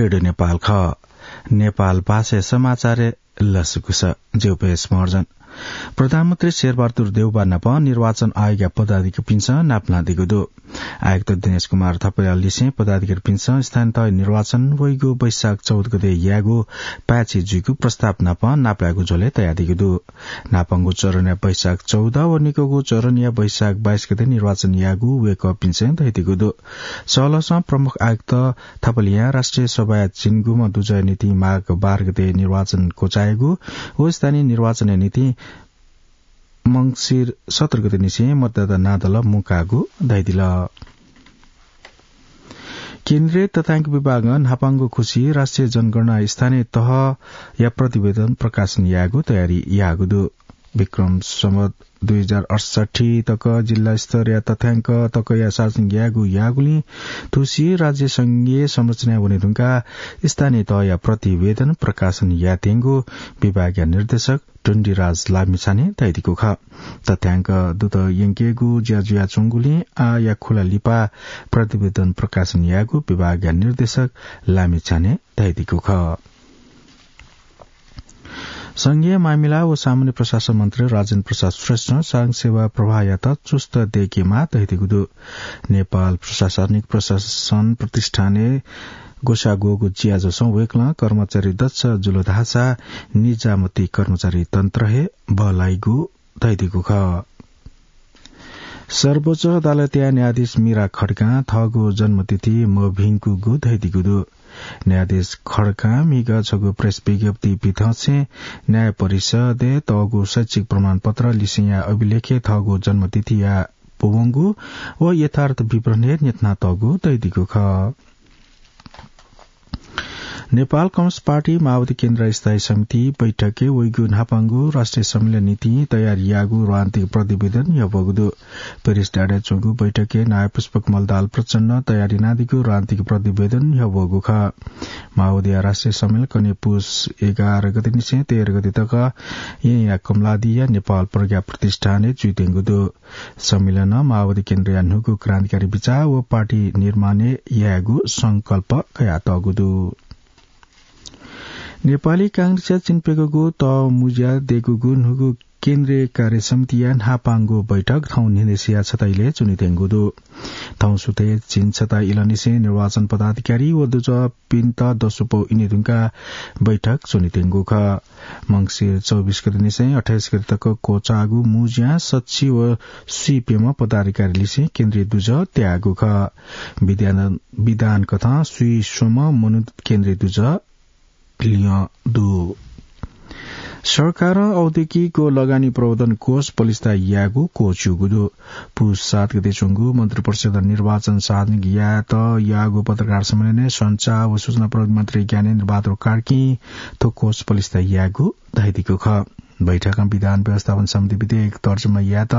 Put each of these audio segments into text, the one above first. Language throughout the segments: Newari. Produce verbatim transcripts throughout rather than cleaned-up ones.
रेडियो नेपाल खः। नेपाल भाषाया समाचारय् लसकुस। ज्यू, पेश मर्जन। प्रधानमन्त्री शेरबहादुर देउवा नाप निर्वाचन आयोगया पदाधिकारीपिन्सं नापलादीगु दु। आयुक्त दिनेश कुमार थपलिया लिसें पदाधिकारीपिन्सं स्थानीय तह निर्वाचन वइगु वैशाख चौध गते यायेगु पाय्छि जुइगु प्रस्ताव नाप नापलायेगु झ्वलय् तयादीगु दु। न्हापांगु चरणया वैशाख चौध व निकःगु चरणया वैशाख बाइस गते निर्वाचन यायेगु वय्कःपिन्सं धयादीगु दु। सहलहसं प्रमुख आयुक्त थपलियां राष्ट्रिय सभाया झिंगुम्ह दुजःया निंतिं माघ बाह्र गते निर्वाचन क्वचायेगु व स्थानीय निर्वाचनया निंतिं मंसिर सत्र गते निसें मतदाता नादल मुंकाःगु धयादिल। केन्द्रीय तथ्याङ्क विभागं न्हापांगु खुसी राष्ट्रिय जनगणना स्थानीय तहया प्रतिवेदन प्रकाशन यायेगु तयारी याःगु दु। विक्रम सम्वत दुई हजार अठसट्ठी तक जिल्ला स्तरया तथ्याङ्क तकया सार्वजनिक यायेगु याःगुलिं थुसी राज्य संघीय संरचनाय् वने धुंकाः स्थानीय तहया प्रतिवेदन प्रकाशन यायेत्यंगु विभागया निर्देशक टुण्डिराज लामिछानें धयादीगु खः। तथ्याङ्क दुत यंकेगु ज्या जुयाच्वंगुलिं आःया खुला लिपा प्रतिवेदन प्रकाशन यायेगु विभागया निर्देशक लामिछानें धयादीगु खः। संघीय मामिला व सामान्य प्रशासन मन्त्री राजेन्द्र प्रसाद श्रेष्ठं सार्वजनिक सेवा प्रवाहयात चुस्त दयेकेमाः धयादीगु दु। नेपाल प्रशासनिक प्रशासन प्रतिष्ठानय् ग्वसाः ग्वःगु ज्याझ्वलय् वय्कलं कर्मचारी दक्ष जुल धाःसा निजामती कर्मचारी तन्त्र हे बल्लाइगु धयादीगु खः। सर्वोच्च अदालतया न्यायाधीश मीरा खड्गां थःगु जन्मतिथि मभिंकूगु धयादीगु दु। न्यायाधीश खड्गां म्हिगः छगू प्रेस विज्ञप्ति पिथंसें न्याय परिषदय् तःगु शैक्षिक प्रमाणपत्र लिसेंया अभिलेखय् थःगु जन्मतिथिया पूवंगु व यथार्थ विवरण हे न्ह्यथनातःगु धयादीगु खः। नेपाल कम्युनिस्ट पार्टी माओवादी केन्द्र स्थायी समिति बैठकय् वइगु न्हापांगु राष्ट्रिय सम्मेलन निंतिं तयारी याःगु रणनीतिक प्रतिवेदन न्ह्यब्वःगु दु। पेरिस डाँडाय् च्वंगु बैठकय् नायः पुष्पकमल दाहाल प्रचण्डं तयारी यानादीगु रणनीतिक प्रतिवेदन न्ह्यब्वःगु खः। माओवादीया राष्ट्रिय सम्मेलन कन्हय् पुस एघार गते निसें तेह्र गते तक येँया कमलादीया नेपाल प्रज्ञा प्रतिष्ठानय् जुइत्यंगु दु। सम्मेलनं माओवादी केन्द्रया न्हूगु क्रान्तिकारी बिचाः व पार्टी निर्माणय् यायेगु संकल्प कयातःगु दु। नेपाली कांग्रेसया चिन्प्यंगूगु तःमुँज्यां दयेकूगु न्हूगु केन्द्रीय कार्य समितिया न्हापांगु बैठक थौं न्हिनय्सिया छता इलय् च्वनेत्यंगु दु। थौं सुथय् झिंछता इलंनिसें निर्वाचन पदाधिकारी व दुजःपिन्त दसुपौ इने धुंकाः बैठक च्वनेत्यंगु खः। मंसिर चौबिस गते निसें अट्ठाइस गते तक क्वचाःगु मुँज्यां सच्छि व स्वीप्यम्ह पदाधिकारी लिसें केन्द्रीय दुजः त्याःगु खः। विधान, विधान कथं स्वीस्वम्ह मनोनीत केन्द्रीय दुजः लिहां दु। सरकारं औद्योगिक व लगानी प्रवर्धन कोष पलिस्था यायेगु क्वःछिउगु दु। पुस सात गते च्वंगु मन्त्रिपरिषद् निर्वाचन सार्वजनिक यायेत याःगु पत्रकार सम्मेलनय् सञ्चार व सूचना प्रविधि मन्त्री ज्ञानेन्द्र बहादुर कार्कीं थ्व कोष पलिस्था यायेगु धयादीगु खः। बैठकं विधान व्यवस्थापन समिति विधेयक तर्जुमा यायेत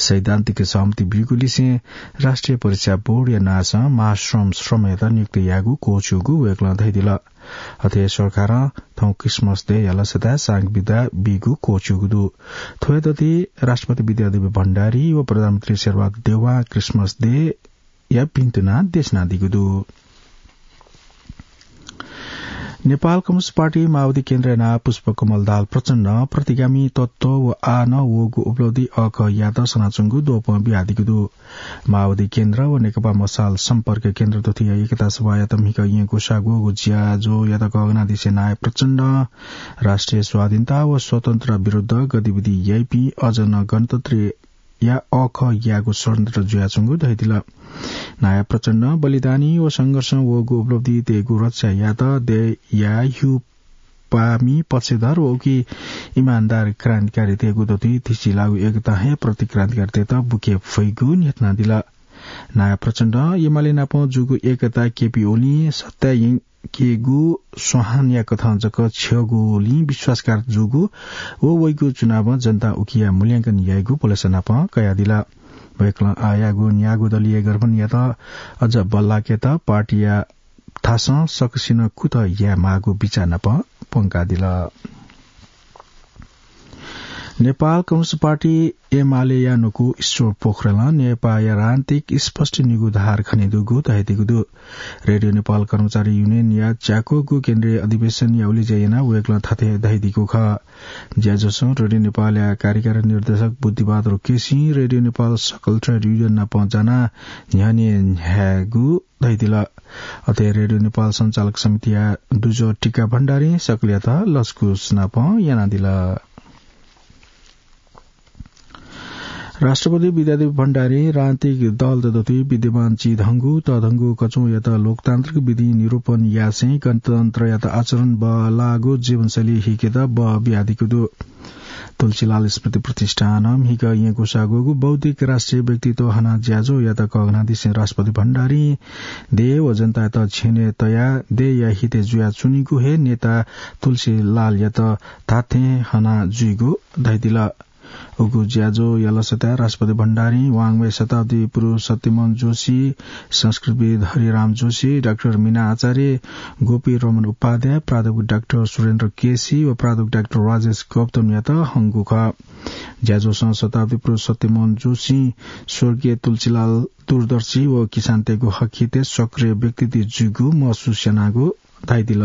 सैद्धान्तिक सहमति ब्यूगु लिसें राष्ट्रिय परीक्षा बोर्डया नांसं महाश्रम श्रमयात नियुक्त यायेगु क्वःछिउगु वय्कलं धयादिल। अथे हे सरकारं थौं क्रिसमस देय् यालसताय् सांघिक बिदा बीगु क्वःछिउगु दु। थ्वयादथी राष्ट्रपति विद्यादेवी भण्डारी व प्रधानमन्त्री शेरबहादुर देउवां क्रिसमस देय्‌या भिन्तुना देछानादीगु दु। नेपाल कम्युनिस्ट पार्टी माओवादी केन्द्रया नायः पुष्पकमल दाहाल प्रचण्डं प्रतिगामी तत्त्व व आः नं वःगु उपलब्धि अःखः यायेत सनाच्वंगु द्वपं बियादीगु दु। माओवादी केन्द्र व नेकपा मशाल सम्पर्क केन्द्र थुथिया एकता सभायात म्हिगः येँ ग्वसाः ग्वःगु ज्याझ्वःयात गःगनादिसे नायः प्रचण्डं राष्ट्रिय स्वाधीनता व स्वतन्त्रता विरुद्ध गतिविधि याइपिं अझ नं गणतन्त्रया अःखः यायेगु षड्यन्त्र जुयाच्वंगु धयादिल। नायः प्रचण्डं बलिदानी व संघर्षं वःगु उपलब्धि दयेगु रक्षा यायेत देय्‌या ह्यूपामि पक्षधर व उकी इमानदार क्रान्तिकारीतय्‌गु दथुइ थिसिलाःगु एकतां हे प्रतिक्रान्तिकारीतय्‌त बुके फइगु न्ह्यथनादिल। नायः प्रचण्डं एमाले नाप जूगु एकता केपी ओलीं सत्ताय् यंकेगु स्वाहानया कथं जक छ्यःगुलिं विश्वासघात जूगु व वइगु चुनावं जनतां उकिया मूल्यांकन याइगु भलसा नाप कयादिल। वय्‌कलं आःयाःगु न्यागू दलीय गठबन्धनयात अझ बल्लाकेत पार्टीया थासं सकसिनं कुतः यायेमाःगु बिचाः नाप प्वंकादिल। नेपाल कम्युनिस्ट पार्टी एमालेया न्वकू ईश्वर पोखरेलं नेपाःया राजनीतिक स्पष्ट निगू धार खनेदुगु धयादीगु दु। रेडियो नेपाल कर्मचारी युनियनया च्याक्वःगु केन्द्रीय अधिवेशनया उलेज्या यानाः वय्कलं थथे धयादीगु खः। ज्याझ्वलय् रेडियो नेपालया कार्यकारी निर्देशक बुद्धिबहादुर केसीं रेडियो नेपाल सकल ट्रेड युनियन नाप जानाः न्ह्यःने न्ह्यायेगु धयादिल। अथे रेडियो नेपाल सञ्चालक समितिया दुजः टीका भण्डारीं सकलयात लसकुस नाप यानादिल। राष्ट्रपति विद्यादेवी भण्डारीं राजनीतिक दलत दथुइ विद्यमान चिधंगु तःधंगु कचौयात लोकतान्त्रिक विधिं निरूपण यासें गणतन्त्रयात आचरण बहःलाःगु जीवनशैली हिकेत बः बियादीगु दु। तुलसीलाल स्मृति प्रतिष्ठानं म्हिगः येँ ग्वसाः ग्वःगु बौद्धिक राष्ट्रिय व्यक्तित्व हना ज्याझ्वःयात कःघानादिसें राष्ट्रपति भण्डारीं देय् व जनतायात छेनय् तयाः देय्‌या हितय् जुयाच्वनीगु हे नेता तुलसीलालयात धात्थें हना जुइगु धयादिल। उगु ज्याझ्वःया लसताय् राष्ट्रपति भण्डारीं वाङ्मय शताब्दी पुरुष सत्यमोहन जोशी, संस्कृतविद् हरिराम जोशी, डाक्टर मीना आचार्य, गोपी रमण उपाध्याय, प्राध्यापक डाक्टर सुरेन्द्र केसी व प्राध्यापक डाक्टर राजेश गौतमयात हंगु खः। ज्याझ्वलं शताब्दी पुरुष सत्यमोहन जोशीं स्वर्गीय तुलसीलाल दूरदर्शी व किसानतय्‌गु हक हितय् सक्रिय व्यक्तित्व जूगु महसुस यानागु धयादिल।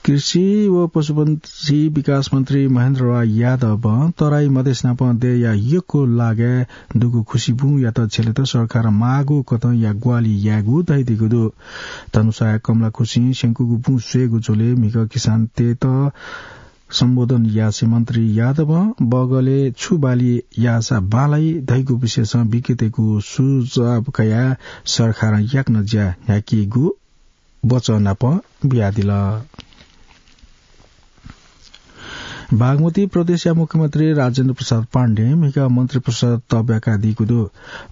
कृषि व पशुपन्छी विकास मन्त्री महेन्द्र राय यादवं तराई मधेस नाप देय्‌या यक्व लागाय् दुगु खुसि बुँयात झेलेत सरकारं माःगु कथंया ग्वाहालि यायेगु धयादीगु दु। धनुषाया कमलाखुसिं स्यंकूगु बुँ स्वयेगु झ्वलय् म्हिगः किसानतय्‌त सम्बोधन यासें मन्त्री यादवं बगलय् छु बाली याःसा बांलाइ धइगु विषयसं विज्ञतय्‌गु सुझाव कयाः सरकारं याकनं ज्या न्ह्याकीगु वचः नाप बियादिल। बागमती प्रदेशया मुख्यमन्त्री राजेन्द्र प्रसाद पाण्डें म्हिगः मन्त्री परिषद तःब्याकादीगु दु।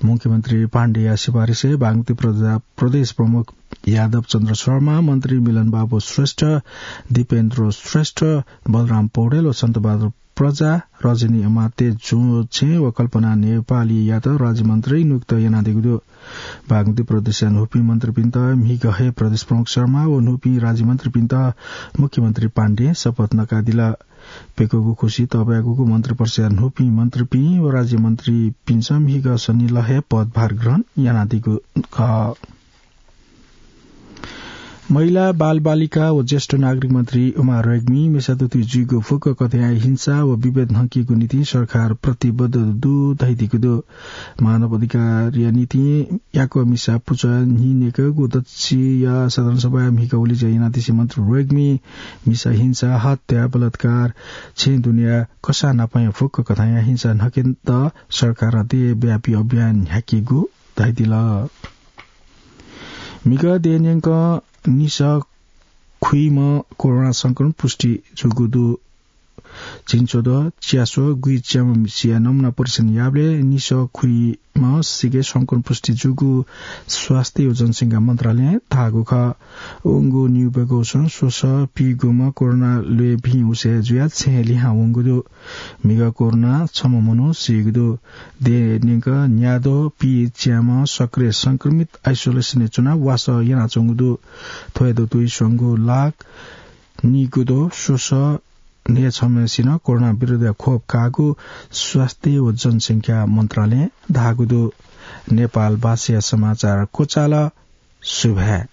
मुख्यमन्त्री पाण्डेया सिफारिसय् बागमती प्रजा-, प्रदेश प्रमुख यादव चन्द्र शर्मा, मन्त्री मिलनबाबु श्रेष्ठ, दिपेन्द्र श्रेष्ठ, बलराम पौडेल व सन्तबहादुर प्रजा, रजनी अमात्य, जुँछेँ व कल्पना नेपालीयात राज्यमन्त्री नियुक्त यानादीगु दु। बागमती प्रदेशया न्हूपिं मन्त्रीपिन्त म्हिगः हे प्रदेश प्रमुख शर्मा व न्हूपिं राज्यमन्त्रीपिन्त मुख्यमन्त्री पाण्डें शपथ नकादिल। प्यकूगु खुसि तःब्याकूगु मन्त्री परिषदया न्हूपिं मन्त्रीपिं व राज्यमन्त्रीपिन्सं म्हिगः सनिलय् हे पदभार ग्रहण यानादीगु खः। महिला, बालबालिका व ज्येष्ठ नागरिक मन्त्री उमा रेग्मीं मिसा दुथुइ जुइगु फुक्क कथंया हिंसा व विभेद न्हंकीगु निंतिं सरकार प्रतिबद्ध दु धयादीगु दु। मानव अधिकारया निंतिं याकः मिसा पुचः न्हिनेकःगु दच्चिया साधारण सभाय् म्हिगः उलेज्या यानादिसें मन्त्री रेग्मीं मिसा हिंसा, हत्या, बलात्कार, छेँ दुनेया कसाः नापया फुक्क कथंया हिंसा न्हंकेत सरकारं देय्‌व्यापी अभियान न्ह्याकीगु धयादिल। म्हिगः देय् न्यंकं निसः खुइम्ह कोरोना संक्रमण पुष्टि जूगु दु। झिंछ्वद्वः च्यास्वः गुइच्याम्ह मिसाया नमुना परीक्षण याःबलय् निसः खुइम्ह सिके संक्रमण पुष्टि जूगु स्वास्थ्य व जनसंख्या मन्त्रालयं धाःगु खः। वंगु निगू बेगः स्वसः पीगुम्ह कोरोना ल्वय् भिं उसे जुयाः छेँय् लिहां वंगु दु। म्हिगः कोरोनां छम्ह मनू सीगु दु। देय् न्यंकं न्याद्वः पीच्याम्ह सक्रिय संक्रमित आइसोलेसनय् च्वनाः वासः यानाच्वंगु दु। थ्व हे दथुइ स्वंगू लाख निगू द्वः स्वसः न्हय्‌छम्हसिनं कोरोना विरुद्धया खोप काःगु स्वास्थ्य व जनसंख्या मन्त्रालयं धाःगु दु। नेपाल भाषाया समाचार क्वचाल। सुभाय्।